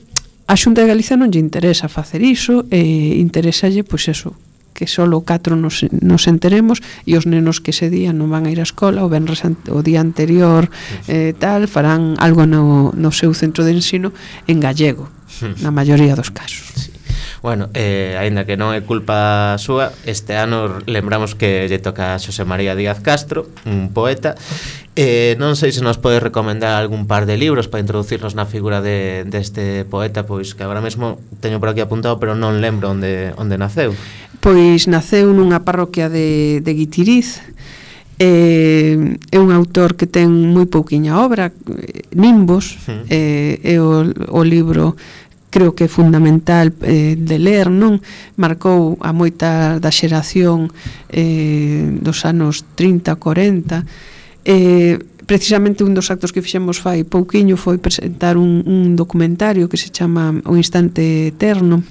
a Xunta de Galicia non lle interesa facer iso, e interesalle, pois eso, que solo catro nos, nos enteremos, e os nenos que ese día non van a ir á escola, o venres o día anterior eh, tal, farán algo no, no seu centro de ensino en gallego, na maioría dos casos. Sí. Bueno, eh, aínda que non é culpa súa, este ano lembramos que lle toca a Xosé María Díaz Castro, un poeta. Eh, non sei se nos pode recomendar algún par de libros para introducirnos na figura de, deste poeta, pois que agora mesmo teño por aquí apuntado, pero non lembro onde, onde naceu. Pois naceu nunha parroquia de, de Guitiriz. Eh, é un autor que ten moi pouquiña obra, Nimbos, uh-huh. eh, é o, o libro creo que é fundamental eh, de ler, non? Marcou a moita da xeración eh, dos anos trinta, corenta. Eh, precisamente un dos actos que fixemos fai pouquiño foi presentar un, un documentario que se chama O Instante Eterno,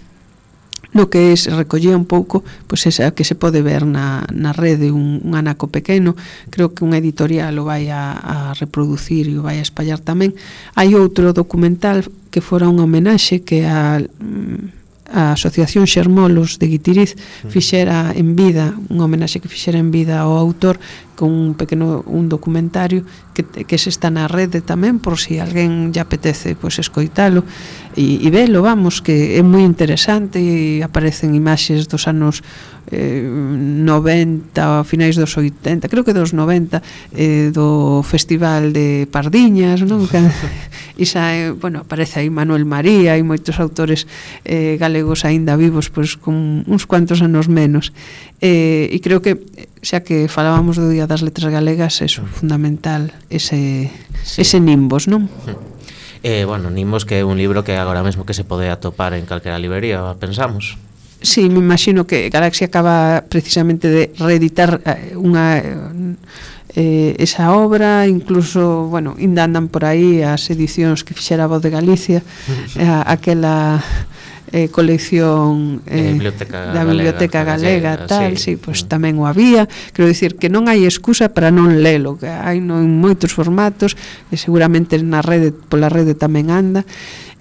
no que se recollía un pouco, pois esa que se pode ver na, na rede, un, un anaco pequeno. Creo que unha editorial o vai a, a reproducir e o vai a espallar tamén. Hai outro documental que fora unha homenaxe que a, a Asociación Xermolos de Guitiriz fixera en vida, unha homenaxe que fixera en vida ao autor, con un pequeno un documentario que, que se está na rede tamén, por si alguén lle apetece pois escoitalo e, e velo, vamos, que é moi interesante, e aparecen imaxes dos anos eh, noventa, a finais dos oitenta, creo que dos noventa, eh, do Festival de Pardiñas, non? E xa, eh, bueno, aparece aí Manuel María e moitos autores eh, galegos aínda vivos, pois con uns cuantos anos menos, eh, e creo que xa que falábamos do Día das Letras Galegas, eso, fundamental, ese, sí. ese Nimbos, non? Eh, bueno, Nimbos, que é un libro que agora mesmo que se pode atopar en calquera librería, pensamos. Sí, me imagino que Galaxia acaba precisamente de reeditar unha eh, esa obra, incluso, bueno, ainda andan por aí as edicións que fixera a Voz de Galicia, a, aquela eh, colección eh, biblioteca da Biblioteca Galega, Galega tal, sí, sí, pois tamén o había. Quero dicir que non hai excusa para non lelo, que hai non moitos formatos, e seguramente na rede, pola rede tamén anda.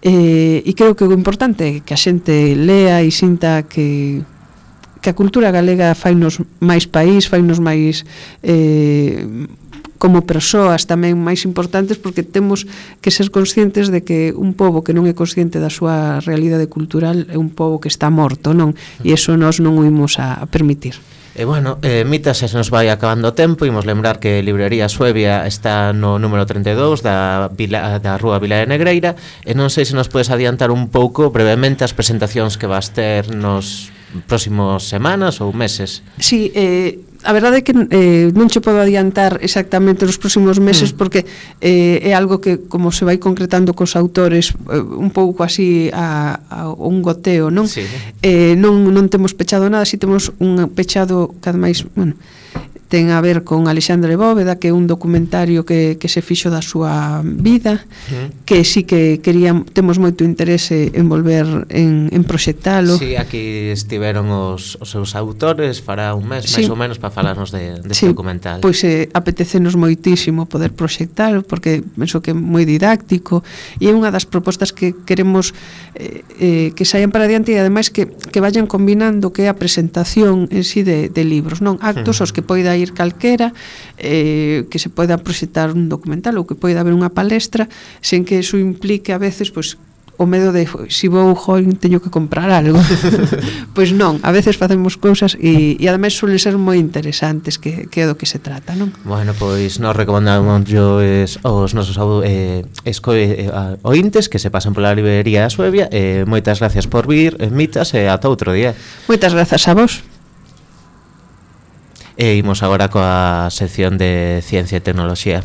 Eh, e creo que o importante é que a xente lea e sinta que que a cultura galega fainos máis país, fainos máis eh, como persoas tamén máis importantes, porque temos que ser conscientes de que un pobo que non é consciente da súa realidade cultural é un pobo que está morto, non? E iso nós non o imos a, a permitir. E bueno, eh, Mitas, se nos vai acabando o tempo, imos lembrar que Librería Suevia está no número trinta e dous da, Vila, da Rúa Vila de Negreira, e non sei se nos podes adiantar un pouco brevemente as presentacións que vas ter nos próximos semanas ou meses. Sí, eh, a verdade é que eh, non che podo adiantar exactamente nos próximos meses, mm. porque eh, é algo que, como se vai concretando cos autores, eh, un pouco así a, a un goteo, non? Sí. Eh, non, non temos pechado nada, si temos un pechado cada máis, bueno, ten a ver con Alexandre Bóveda, que é un documentario que, que se fixo da súa vida, uh-huh. que sí que queríamos, temos moito interese en volver en, en proxectalo. Sí, aquí estiveron os, os seus autores, fará un mes, sí. máis ou menos, para falarnos de, de sí, este documental. Pois eh, apetecenos moitísimo poder proxectalo, porque penso que é moi didáctico, e é unha das propostas que queremos eh, eh, que saian para adiante, e ademais que, que vayan combinando que é a presentación en sí de, de libros, non? Actos uh-huh. os que poida ir calquera, eh, que se poida proxectar un documental ou que poida haber unha palestra, sen que eso implique a veces, pois, o medo de si vou, join, teño que comprar algo. Pois non, a veces facemos cousas e, e ademais suelen ser moi interesantes, que, que é do que se trata, non? Bueno, pois nos recomendamos os, os nosos eh, esco, eh, ointes que se pasan pola librería Suevia. Eh, moitas gracias por vir, eh, Mitas, e ata outro día. Moitas grazas a vos. E imos agora coa sección de Ciencia e Tecnoloxía.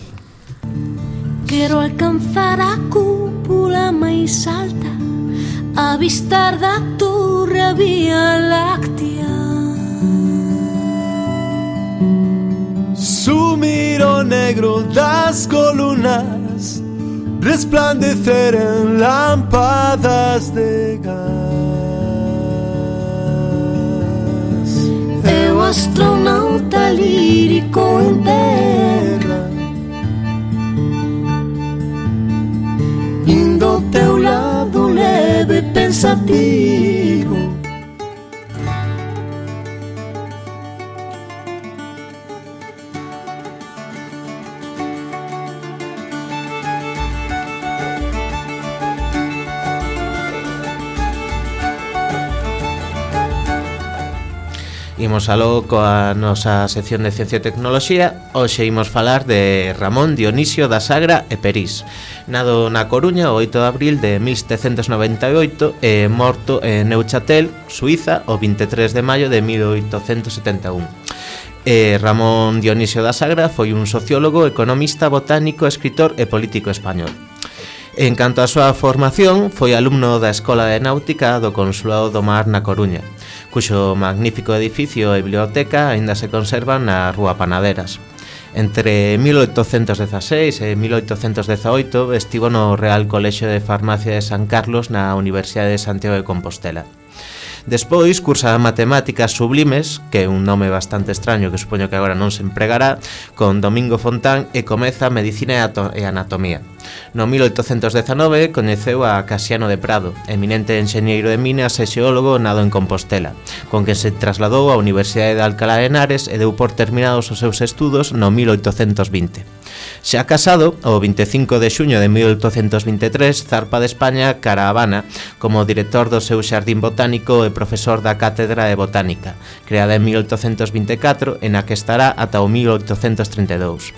Quero alcanzar a cúpula máis alta, avistar da torre a Vía Láctea, sumir o negro das colunas, resplandecer en lámpadas de gas. Eu astronauta lírico en terra, indo ao teu lado leve pensativo. Imos aló coa nosa sección de Ciencia e Tecnoloxía. Hoxe imos falar de Ramón Dionisio da Sagra e Perís. Nado na Coruña o oito de abril de mil setecentos noventa e oito e morto en Neuchâtel, Suiza, o vinte e tres de maio de mil oitocentos setenta e un. Eh, Ramón Dionisio da Sagra foi un sociólogo, economista, botánico, escritor e político español. En canto á súa formación, foi alumno da Escola de Náutica do Consulado do Mar na Coruña, cuxo magnífico edificio e biblioteca aínda se conservan na Rúa Panaderas. Entre mil oitocentos dezaseis e mil oitocentos dezaoito estivo no Real Colexio de Farmacia de San Carlos na Universidade de Santiago de Compostela. Despois cursa Matemáticas Sublimes, que é un nome bastante extraño que supoño que agora non se empregará, con Domingo Fontán e comeza Medicina e Anatomía. No mil oitocentos dezanove coñeceu a Casiano de Prado, eminente enxeñeiro de minas e xeólogo nado en Compostela, con que se trasladou á Universidade de Alcalá de Henares e deu por terminados os seus estudos no mil oitocentos vinte. Xa casado, o vinte e cinco de xuño de mil oitocentos vinte e tres zarpa de España cara a Habana como director do seu xardín botánico e profesor da Cátedra de Botánica, creada en mil oitocentos vinte e catro e na que estará ata o mil oitocentos trinta e dous.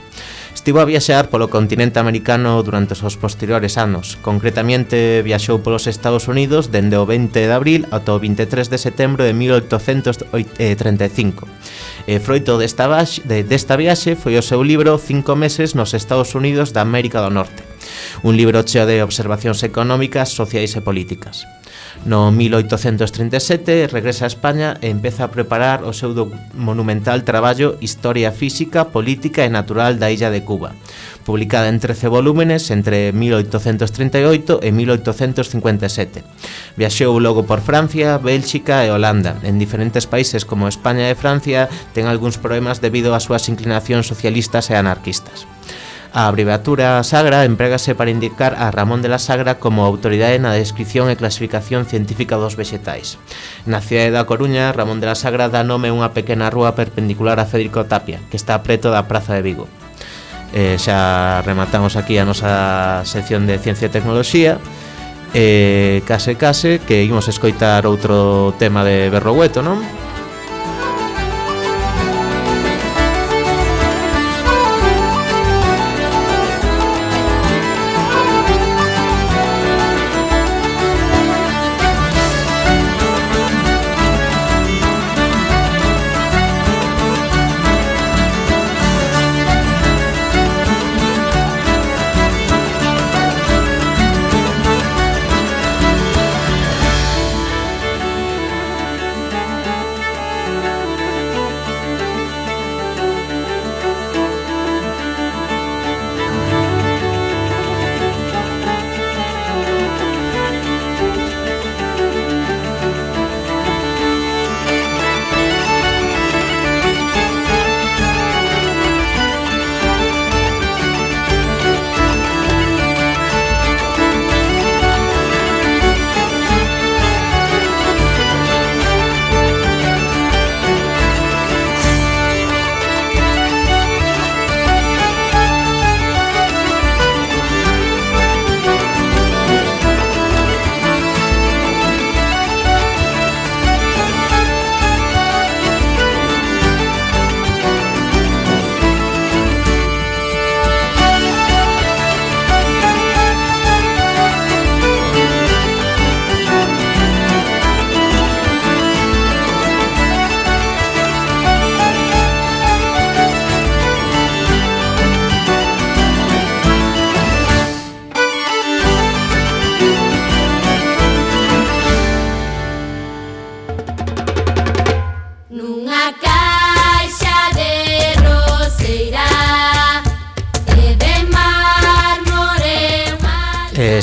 Estivo a viaxear polo continente americano durante os posteriores anos. Concretamente, viaxou polos Estados Unidos dende o vinte de abril ata o vinte e tres de setembro de mil oitocentos trinta e cinco. E froito desta, baix, de, desta viaxe foi o seu libro Cinco meses nos Estados Unidos da América do Norte, un libro cheo de observacións económicas, sociais e políticas. No mil oitocentos trinta e sete regresa a España e empeza a preparar o seu monumental traballo Historia Física, Política e Natural da Illa de Cuba, publicada en trece volúmenes entre mil oitocentos trinta e oito e mil oitocentos cincuenta e sete. Viaxou logo por Francia, Bélxica e Holanda. En diferentes países como España e Francia ten algúns problemas debido ás súas inclinacións socialistas e anarquistas. A abreviatura Sagra emprégase para indicar a Ramón de la Sagra como autoridade na descripción e clasificación científica dos vexetais. Na cidade da Coruña, Ramón de la Sagra dá nome a unha pequena rúa perpendicular a Federico Tapia, que está preto da Praza de Vigo. Eh, xa rematamos aquí a nosa sección de Ciencia e Tecnoloxía. E case case que imos escoitar outro tema de Berrogueto, non?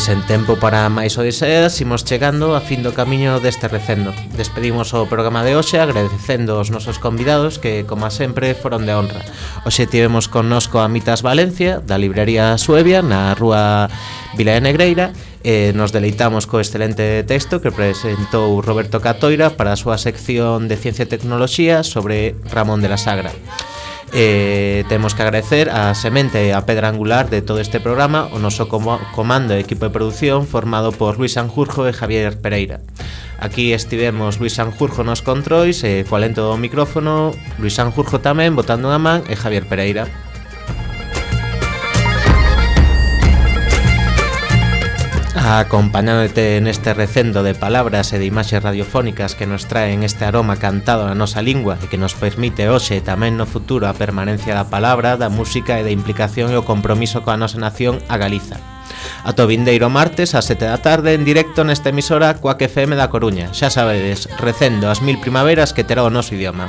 sen tempo para máis odiseas, imos chegando a fin do camiño deste recendo. Despedimos o programa de hoxe agradecendo aos nosos convidados que, como sempre, foron de honra. Hoxe tivemos connosco a Mitas Valencia, da librería Suevia, na rúa Vila de Negreira, e nos deleitamos co excelente texto que presentou Roberto Catoira para a súa sección de Ciencia e Tecnoloxía sobre Ramón de la Sagra. Eh, temos que agradecer a semente e a pedra angular de todo este programa, o noso comando e equipo de producción formado por Luis Sanjurjo e Javier Pereira. Aquí estivemos Luis Sanjurjo nos controis e coa lento do micrófono, Luis Sanjurjo tamén botando unha man e Javier Pereira. Acompañándote neste recendo de palabras e de imaxes radiofónicas que nos traen este aroma cantado na nosa lingua e que nos permite hoxe e tamén no futuro a permanencia da palabra, da música e da implicación e o compromiso coa nosa nación, a Galiza. Ata o vindeiro martes ás sete da tarde en directo nesta emisora Cuac F M da Coruña. Xa sabedes, recendo as mil primaveras que terá o noso idioma.